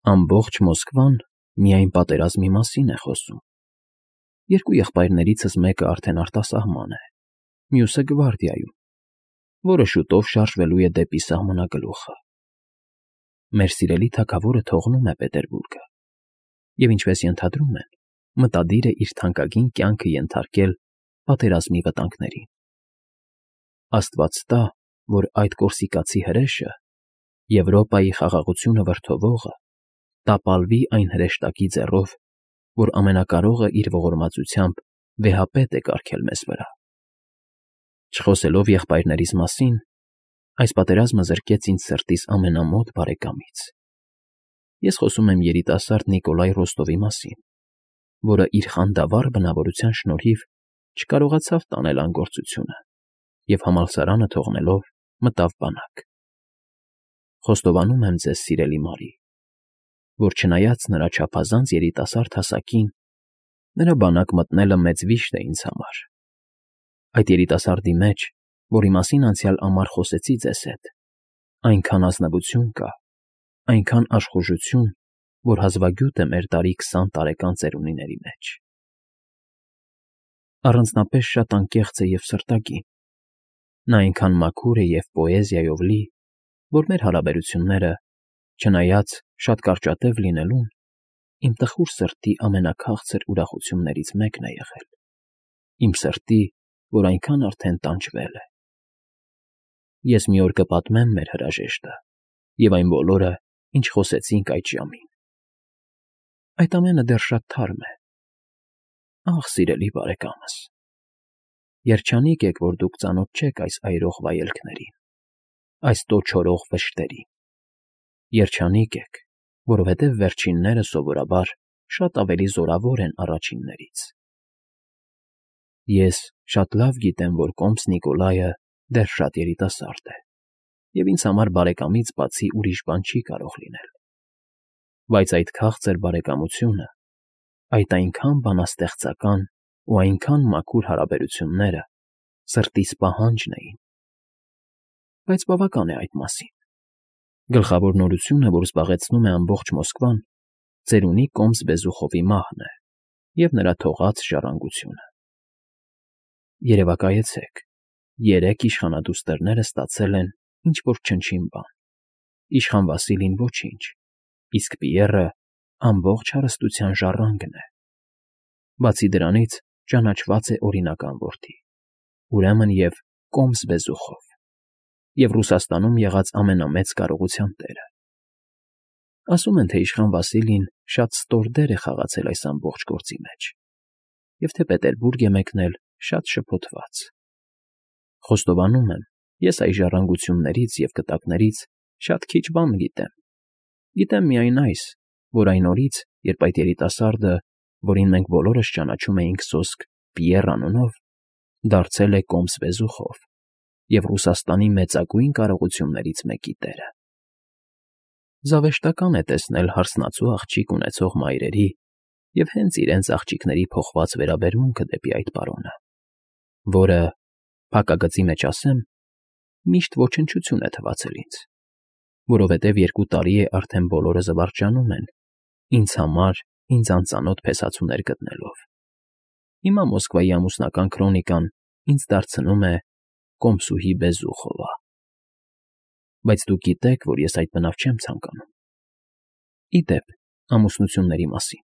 Ամբողջ Մոսկվան միայն պատերազմի մասին է խոսում։ Երկու եղբայրներիցս մեկը արդեն արտասահման է, մյուսը գվարդիայում, որը շուտով շարժվելու է դեպի սահմանագլուխը։ Մեր սիրելի թագավորը թողնում է Պետերբուրգը, և ինչպես ենթադրում են, մտադիր է իր թանկագին կյանքը ենթարկել պատերազմի վտանգներին։ Աստված տա, որ այդ կորսիկացի հրեշը, Եվրոպայի խաղաղությունը վրդովողը, տապալվի այն հրեշտակի ձեռով, որ ամենակարողը իր ողորմածությամբ վեհապետ է կարգել մեզ վրա։ Չխոսելով եղբայրներիս մասին, այս պատերազմը զրկեց ինձ սրտիս ամենամոտ բարեկամից։ Ես խոսում եմ երիտասարդ Նիկոլայ Ռոստովի մասին, որը իր խանդավառ բնավորության շնորհիվ չկարողացավ տանել անգործությունը և համալսարանը թողնելով մտավ բանակ։ Խոստովանում եմ ձեզ, սիրելի Մարի, որ չնայած նրա չափազանց երիտասարդ հասակին, նրա բանակ մտնելը մեծ վիշտ է ինձ համար։ Այդ երիտասարդի մեջ, որի մասին անցյալ ամառ խոսեցի ձեզ հետ, այնքան ազնվություն կա, այնքան աշխուժություն, որ հազվագյուտ է մեր տարի 20 տարեկան ծերունիների մեջ։ Առանձնապես շատ անկեղծ է և սրտագին։ Նա այնքան մաքուր է և պոեզիայով լի, որ մեր հարաբերությունները, չնայած շատ կարճատև լինելուն, իմ տխուր սրտի ամենաքաղցր ուրախություններից մեկն է եղել, իմ սրտի, որ այնքան արդեն տանջվել է։ Ես մի օր կպատմեմ մեր հրաժեշտը և այն բոլորը, ինչ խոսեցինք այդ ժամին։ Այդ ամենը դեռ շատ թարմ է։ Ախ, սիրելի բարեկամս, երջանիկ եք, որ դուք ծանոթ չեք այս այրող վայելքներին, այս տոչորող վշտերին։ Երջանիկ եք, որովհետև վերջինները սովորաբար շատ ավելի զորավոր են առաջիններից։ Ես շատ լավ գիտեմ, որ կոմս Նիկոլայը դեռ շատ երիտասարդ է, և ինձ համար բարեկամից բացի ուրիշ բան չի կարող լինել։ Բայց այդ քաղցր բարեկամությունը, այդ այնքան բանաստեղծական ու այնքան մաքուր հարաբերությունները սրտիս պահանջն էին։ Բայց բավական է այդ մասին։ Գլխավոր նորությունը, որ զբաղեցնում է ամբողջ Մոսկվան, ծերունի կոմս Բեզուխովի մահն է և նրա թողած ժառանգությունը։ Երևակայեցեք, 3 իշխանադուստրները ստացել են ինչ֊որ չնչին բան, իշխան Վասիլին ոչինչ, իսկ Պիեռը ամբողջ հարստության ժառանգն է։ Բացի դրանից ճանաչված է օրինական որդի, ուրեմն և կոմս Բեզուխով, և Ռուսաստանում եղած ամենամեծ կարողության տերը։ Ասում են, թե իշխան Վասիլին շատ ստոր դեր է խաղացել այս ամբողջ գործի մեջ, և թե Պետերբուրգ է մեկնել շատ շփոթված։ Խոստովանում եմ, ես այս ժառանգություններից և կտակներից շատ քիչ բան գիտեմ։ Գիտեմ միայն այս, որ այն օրից, երբ այդ երիտասարդը, որին մենք բոլորս ճանաչում էինք սոսկ Պիեռ անունով, դարձել է կոմս Բեզուխով և Ռուսաստանի մեծագույն կարողություններից մեկի տերը։ Զավեշտական է տեսնել հարսնացու աղջիկ ունեցող մայրերի և հենց իրենց աղջիկների փոխված վերաբերմունքը դեպի այդ պարոնը, որը, փակագծի մեջ ասեմ, միշտ ոչնչություն է թվացել ինձ, որովհետև 2 տարի է արդեն բոլորը զվարճանում են, ինձ համար ինձ անծանոթ փեսացուներ գտնելով։ Հիմա Մոսկվայի ամուսնական քրոնիկան ինձ դարձնում է կոմսուհի Բեզուխովա։ Բայց դուք գիտեք, որ ես այդ բնավ չեմ ցանկանում։ Ի դեպ, ամուսնությունների մասին։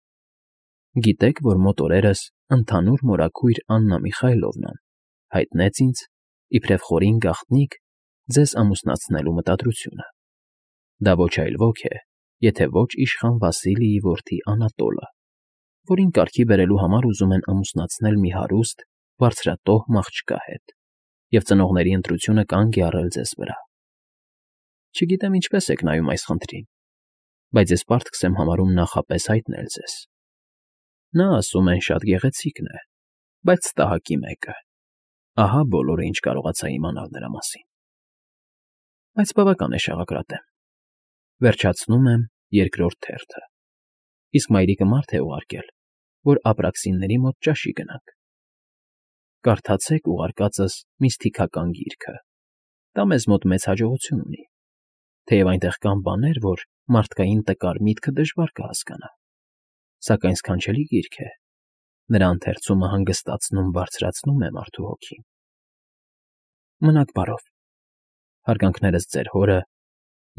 Գիտեք, որ մոտ օրերս ընդհանուր մորաքույր Աննա Միխայլովնան հայտնեց ինձ, իբրև խորին գաղտնիք, ձեզ ամուսնացնելու մտադրությունը։ Դա ոչ այլ ոք է, եթե ոչ իշխան Վասիլիի որդի Անատոլը, որին կարգի բերելու համար ուզում են ամուսնացնել մի հարուստ, բարձրատոհ մաղջկա հետ, և ծնողների ընտրությունը կանգ է առել ձեզ վրա։ Չգիտեմ ինչպես եք նայում այս խնդրին, բայց ես պարտքս եմ համարում նախապես հայտնել ձեզ։ Նա, ասում են, շատ գեղեցիկն է, բայց ստահակի մեկը։ Ահա բոլորը, ինչ կարողացա իմանալ նրա մասին։ Բայց բավական է շաղակրատեմ։ Վերջացնում եմ 2-րդ թերթը։ Իսկ մայրիկը մարդ է ուղարկել, որ ապրաքսինների մոտ ճաշի գնանք։ Կարդացեք ուղարկածս միստիկական գիրքը։ Դա մեզ մոտ մեծ հաջողություն ունի։ Թեև այնտեղ կան բաներ, որ մարդկային տկար միտքը դժվար կհասկանա, սակայն սքանչելի գիրք է, նրա ընթերցումը հանգստացնում բարձրացնում է մարդու հոգին։ Մնաք բարով, հարգանքներս ձեր հորը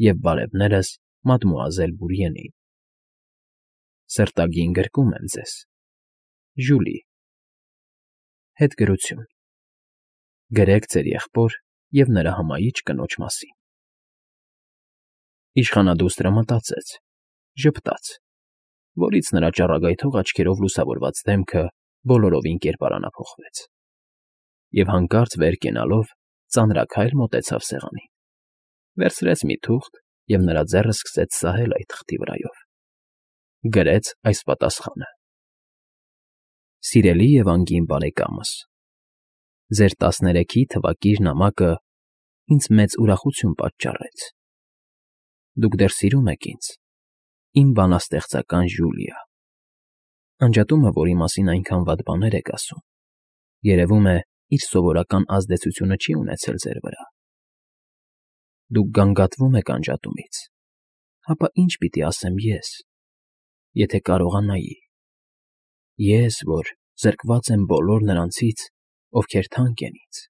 և բարևներս մադմուազել Բուրիենին։ Սրտագին գրկում եմ ձեզ, Ժուլի։ Հետգրություն։ Գրեք ձեր եղբոր և նրա հմայիչ կնոջ մասին։ Իշխանադուստրը մտածեց, ժպտաց, որից նրա ճառագայթող աչքերով լուսավորված դեմքը բոլորովին կերպարանափոխվեց, և հանկարծ վեր կենալով ծանրաքայլ մոտեցավ սեղանին, վերցրեց մի թուղթ և նրա ձեռը սկսեց սահել այդ թղթի վրայով։ Գրեց այս պատասխանը. Սիրելի և անգին բարեկամս, ձեր 13-ի թվակիր նամակը ինձ մեծ ուրախություն պատճառեց։ Դուք դեռ սիրում եք ինձ, իմ բանաստեղծական Ժուլիա։ Անջատումը, որի մասին այնքան վատ բաներ եք ասում, երևում է, իր սովորական ազդեցությունը չի ունեցել ձեր վրա։ Դուք գանգատվում եք անջատումից, հապա ինչ պիտի ասեմ ես, եթե կարողանայի։ Ես, որ զրկված եմ բոլոր նրանցից, ովքեր թանկ են ինձ։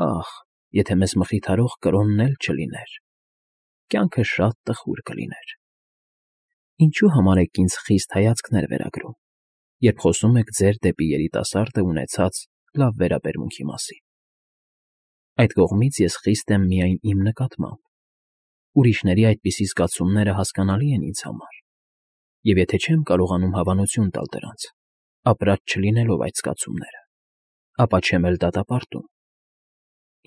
Ախ, եթե մեզ մխիթարող կրոնն էլ չլիներ, կյանքը շատ տխուր կլիներ։ Ինչու համար եք ինձ խիստ հայացքներ վերագրում, երբ խոսում եք ձեր դեպի երիտասարդը ունեցած լավ վերաբերմունքի մասին։ Այդ կողմից ես խիստ եմ միայն իմ նկատմամբ, ուրիշների այդպիսի զգացումները հասկանալի են ինձ համար, և եթե չեմ կարողանում հավանություն տալ դրանց, ապրած չլինելով այդ զգացումները, ապա չեմ էլ դատապարտում։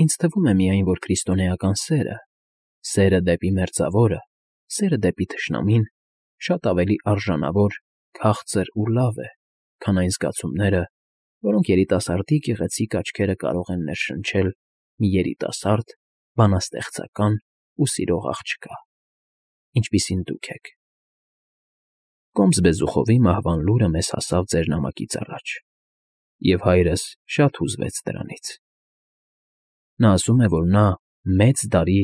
Ինձ թվում է միայն, որ քրիստոնեական սերը դեպի Մերձավորը, սերը դեպի թշնամին շատ ավելի արժանավոր, քաղցր ու լավ է, քան այն զգացումները, որոնք երիտասարդի գեղեցիկ աչքերը կարող են ներշնչել մի երիտասարդ, բանաստեղծական ու սիրող աղջկա, ինչպիսին դուք եք։ Կոմս Բեզուխովի մահվան լուրը մեզ հասավ ձեր նամակից առաջ, և հայրս շատ հուզվեց դրանից։ Նա ասում է, որ նա մեծ դարի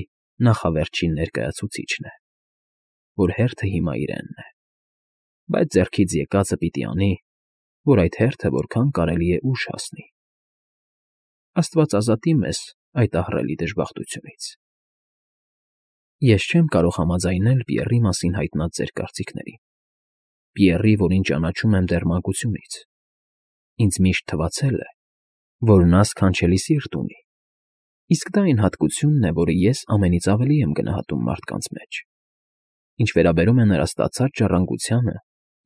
նախավերջին ներկայացուցիչն է, որ հերթը հիմա իրենն է, բայց ձեռքից եկածը պիտի անի, որ այդ հերթը որքան կարելի է ուշ հասնի։ Աստված ազատի մեզ այդ ահռելի դժբախտությունից։ Ես չեմ կարող համաձայնել Պիեռի մասին հայտնած ձեր կարծիքներին, Պիեռի, որին ճանաչում եմ դեռ մանկությունից։ Ինձ միշտ թվացել է, որ նա սքանչելի սիրտ ունի, իսկ դա այն հատկությունն է, որը ես ամենից ավելի եմ գնահատում մարդկանց մեջ։ Ինչ վերաբերում է նրա ստացած ժառանգությանը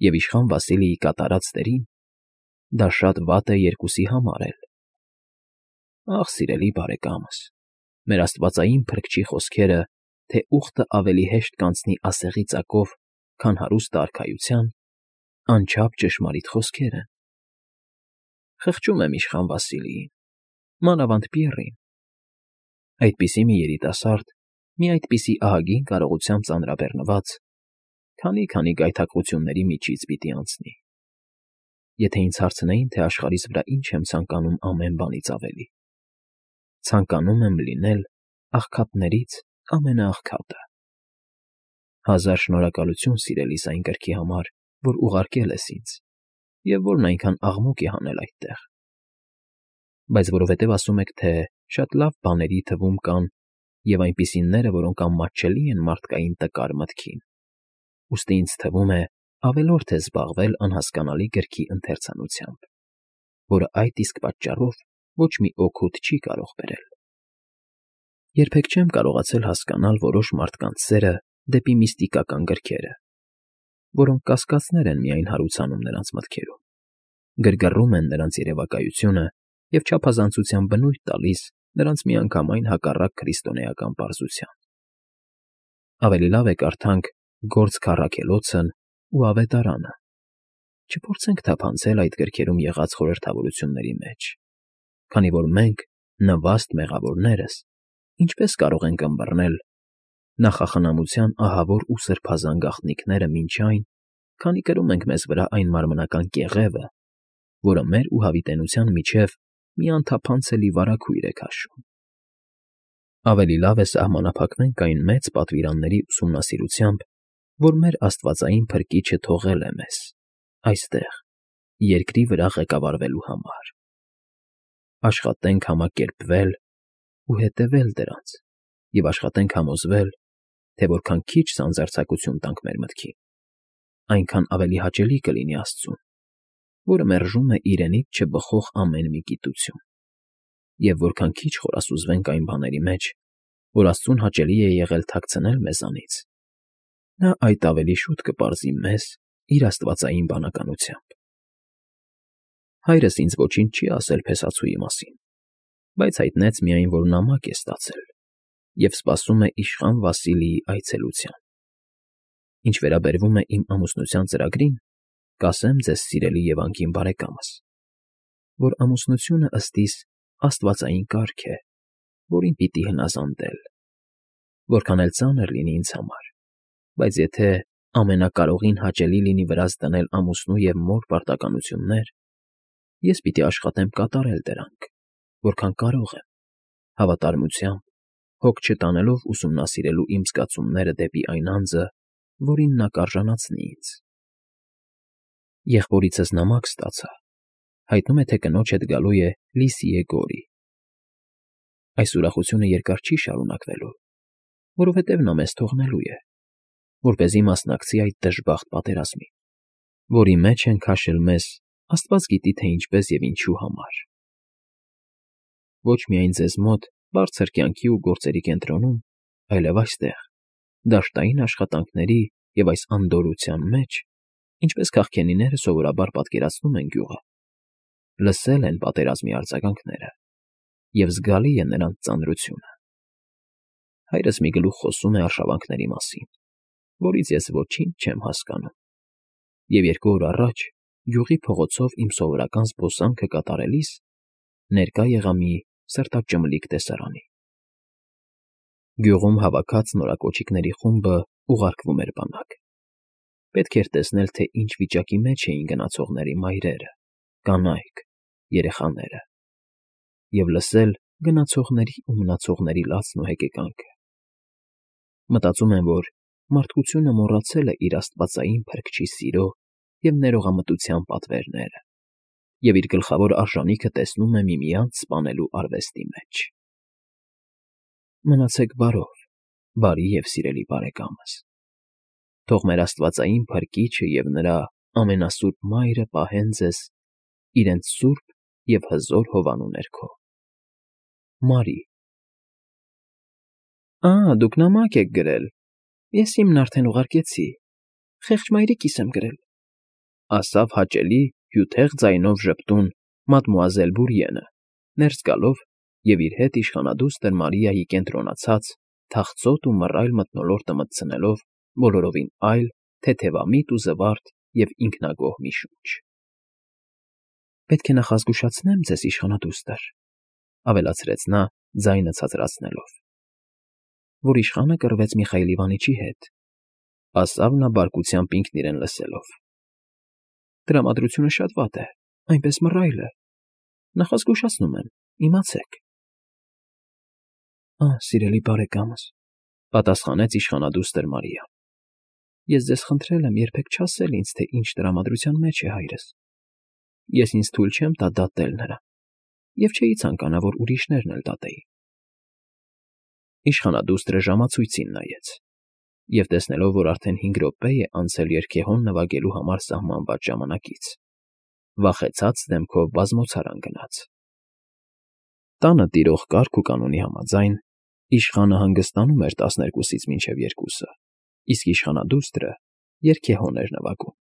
և իշխան Վասիլիի կատարած դերին, դա շատ վատ է երկուսի համար էլ։ Ախ, սիրելի բարեկամս, մեր աստվածային փրկչի խոսքերը, թե ուխտը ավելի հեշտ կանցնի ասեղի ծակով, քան հարուստ արքայության, անչափ ճշմարիտ խոսքեր են։ Խղճում եմ իշխան Վասիլիին, մանավանդ Պիեռին։ Այդպիսի մի երիտասարդ, մի այդպիսի ահագին կարողությամբ ծանրաբեռնված, քանի գայթակղությունների միջից պիտի անցնի։ Եթե ինձ հարցնեին, թե աշխարհիս վրա ինչ եմ ցանկանում ամեն բանից ավելի, ցանկանում եմ լինել աղքատներից ամենաաղքատը։ Հազար շնորհակալություն, սիրելիս, այն կրքի համար, որ ուղարկել ես ինձ, և որն այնքան աղմուկ է հանել այդտեղ։ Բայց որովհետև ասում եք, թե շատ լավ բաների թվում կան և այնպիսիները, որոնք անմատչելի են մարդկային տկար մտքին, ուստի ինձ թվում է ավելորդ է զբաղվել անհասկանալի գրքի ընթերցանությամբ, որը այդ իսկ պատճառով ոչ մի օգուտ չի կարող բերել։ Երբեք չեմ կարողացել հասկանալ որոշ մարդկանց սերը դեպի միստիկական գրքերը, որոնք կասկածներ են միայն հարուցանում նրանց մտքերում, գրգռում են նրանց երևակայությունը և չափազանցության բնույթ տալիս նրանց միանգամայն հակառակ քրիստոնեական պարզության։ Ավելի լավ է կարդանք Գործ Քառաքելոցն ու Ավետարանը, չփորձենք թափանցել այդ գրքերում եղած խորհրդավորությունների մեջ, քանի որ մենք, նվաստ մեղավորներս, ինչպես կարող ենք ըմբռնել նախախնամության ահավոր ու սրբազան գաղտնիքները մինչ այն, քանի կրում ենք մեզ վրա այն մարմնական կեղևը, որը մեր ու հավիտենության միջև մի անթափանցելի վարագույր է քաշում։ Ավելի լավ է սահմանափակվենք այն մեծ պատվիրանների ուսումնասիրությամբ, որ մեր աստվածային Փրկիչը թողել է մեզ, այստեղ, երկրի վրա ղեկավարվելու համար. աշխատենք համակերպվել ու հետևել դրանց և աշխատենք համոզվել, թե որքան քիչ սանձարձակություն տանք մեր մտքին, այնքան ավելի հաճելի կլինի Աստծուն, որը մերժում է իրենից չբխող ամեն մի գիտություն, և որքան քիչ խորասուզվենք այն բաների մեջ, որ Աստծուն հաճելի է եղել թաքցնել մեզանից, նա այդ ավելի շուտ կպարզի մեզ իր աստվածային բանականությամբ։ Հայրս ինձ ոչինչ չի ասել փեսացուի մասին, բայց հայտնեց միայն, որ նամակ է ստացել և սպասում է իշխան Վասիլիի այցելության։ Ինչ վերաբերում է իմ ամուսնության ծրագրին, կասեմ ձեզ, սիրելի և անգին բարեկամս, որ ամուսնությունը ըստ իս աստվածային կարգ է, որին պիտի հնազանդել, որքան էլ ծանր լինի ինձ համար, բայց եթե ամենակարողին հաճելի լինի վրաց դնել ամուսնու և մոր պարտականություններ, ես պիտի աշխատեմ կատարել դրանք, որքան կարող եմ, հավատարմությամբ, հոգ չտանելով ուսումնասիրելու իմ զգացումները դեպի այն անձը, որին նա կարժանացնի ինձ։ Եղբորիցս նամակ ստացա, հայտնում է, թե կնոջ հետ գալու է Լիսիե Գորի։ Այս ուրախությունը երկար չի շարունակվելու, որովհետև նա մեզ թողնելու է, որպեսզի մասնակցի այդ դժբախտ պատերազմին, որի մեջ են քաշել մեզ Աստված գիտի, թե ինչպես և ինչու համար։ Ոչ միայն ձեզ մոտ, բարձր կյանքի ու գործերի կենտրոնում, այլև այստեղ, դաշտային աշխատանքների և այս անդորրության մեջ, ինչպես քաղքենիները սովորաբար պատկերացնում են գյուղը, լսել են պատերազմի արձագանքները, և զգալի է նրանց ծանրությունը։ Հայրս մի գլուխ խոսում է արշավանքների մասին, որից ես ոչինչ չեմ հասկանում, և 2 օր առաջ գյուղի փողոցով իմ սովորական զբոսանքը կատարելիս ներկա եղա մի սրտաճմլիկ տեսարանի։ Գյուղում հավաքած նորակոչիկների խումբը ուղարկվում էր բանակ։ Պետք էր տեսնել, թե ինչ վիճակի մեջ էին գնացողների մայրերը, կանայք, երեխաները, և լսել գնացողների ու մնացողների լացն ու հեկեկանքը։ Մտածում եմ, որ մարդկությունը մոռացել է իր աստվածային Փրկչի սիրո և ներողամտության պատվերները և իր գլխավոր արժանիքը տեսնում է միմյանց սպանելու արվեստի մեջ։ Մնացեք բարով, բարի և սիրելի բարեկամս։ Թող մեր աստվածային Փրկիչը և նրա ամենասուրբ Մայրը պահեն ձեզ իրենց սուրբ և հզոր հովանու ներքո։ Մարի Դուք նամակ եք գրել, ես իմն արդեն ուղարկեցի, խեղճ մայրիկիս եմ գրել, ասավ հաճելի հյութեղ ձայնով ժպտուն մադմուազել Բուրիենը, ներս գալով և իր հետ իշխանադուստր Մարիայի կենտրոնացած, թախծոտ ու մռայլ մթնոլորտը մտցնելով բոլորովին այլ, թեթևամիտ ու զվարթ և ինքնագոհ մի շունչ։ Պետք է նախազգուշացնեմ ձեզ, իշխանադուստր, ավելացրեց նա, ձայնը ցածրացնելով, որ իշխանը կռվեց Միխայիլ Իվանիչի հետ, ասավ նա բարկությամբ ինքն իրեն լսելով։ Տրամադրությունը շատ վատ է, այնպես մռայլ է, նախազգուշացնում եմ, իմացեք։ Սիրելի բարեկամս, պատասխանեց իշխանադուստր Մարիան, ես ձեզ խնդրել եմ երբեք չասել ինձ, թե ինչ տրամադրության մեջ է հայրս։ Ես ինձ թույլ չեմ տա դատել նրան, և չէի ցանկանա, որ ուրիշներն էլ դատեին։ Իշխանադուստրը ժամացույցին նայեց, և տեսնելով, որ արդեն 5 րոպե է անցել երգեհոն նվագելու համար սահմանված ժամանակից, վախեցած դեմքով բազմոցարան գնաց։ Տանը տիրող կարգ ու կանոնի համաձայն, իշխանը հանգստանում էր 12-ից մինչև 2-ը, իսկ իշխանադուստրը երգեհոն էր նվագում։